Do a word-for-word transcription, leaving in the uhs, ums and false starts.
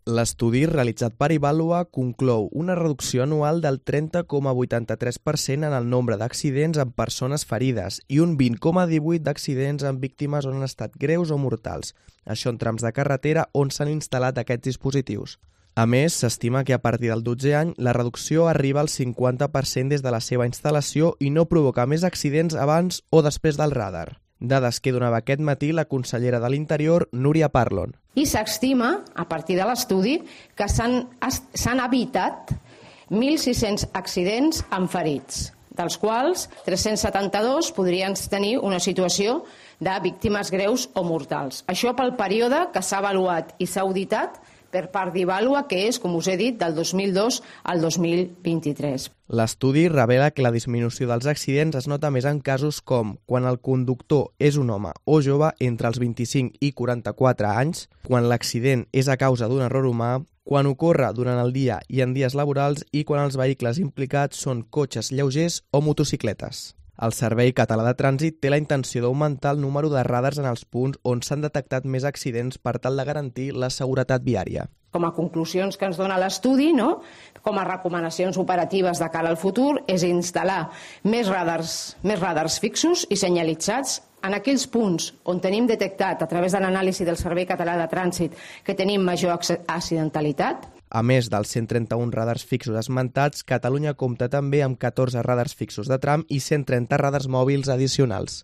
L'estudi realitzat per Ivalua conclou una reducció anual del trenta coma vuitanta-tres per cent en el nombre d'accidents amb persones ferides i un vint coma divuit d'accidents amb víctimes on han estat greus o mortals, això en trams de carretera on s'han instal·lat aquests dispositius. A més, s'estima que a partir del dotzè any la reducció arriba al cinquanta per cent des de la seva instal·lació i no provoca més accidents abans o després del radar. Dades que donava aquest matí la consellera de l'Interior, Núria Parlon. I s'estima, a partir de l'estudi, que s'han evitat mil sis-cents accidents amb ferits, dels quals tres-cents setanta-dos podrien tenir una situació de víctimes greus o mortals. Això pel període que s'ha avaluat i s'ha auditat per part d'Ivalua, que és, com us he dit, del dos mil dos al dos mil vint-i-tres. L'estudi revela que la disminució dels accidents es nota més en casos com quan el conductor és un home o jove entre els vint-i-cinc i quaranta-quatre anys, quan l'accident és a causa d'un error humà, quan ocorre durant el dia i en dies laborals i quan els vehicles implicats són cotxes lleugers o motocicletes. El Servei Català de Trànsit té la intenció d'augmentar el número de radars en els punts on s'han detectat més accidents per tal de garantir la seguretat viària. Com a conclusions que ens dona l'estudi, no? Com a recomanacions operatives de cara al futur, és instal·lar més radars, més radars fixos i senyalitzats en aquells punts on tenim detectat, a través de l'anàlisi del Servei Català de Trànsit, que tenim major accidentalitat. A més dels cent trenta-un radars fixos esmentats, Catalunya compta també amb catorze radars fixos de tram i cent trenta radars mòbils addicionals.